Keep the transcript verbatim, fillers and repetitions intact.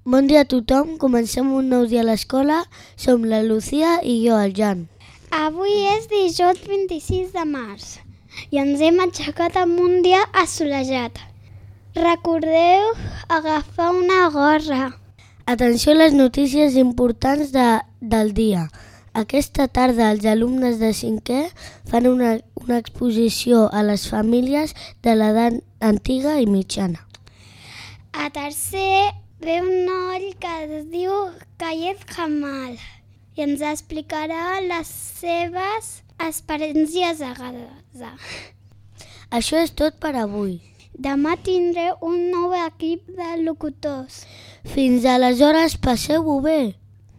Bon dia a tothom, comencem un nou dia a l'escola. Som la Lucía i jo, el Jan. Avui és dijous vint-i-sis de març i ens hem aixecat amb un dia assolejat. Recordeu agafar una gorra. Atenció a les notícies importants de, del dia. Aquesta tarda els alumnes de cinquè fan una, una exposició a les famílies de l'edat antiga i mitjana. A tercer ve un noi que es diu Khaled Jamal i ens explicarà les seves experiències a Gaza. Això és tot per avui. Demà tindré un nou equip de locutors. Fins aleshores, passeu-ho bé.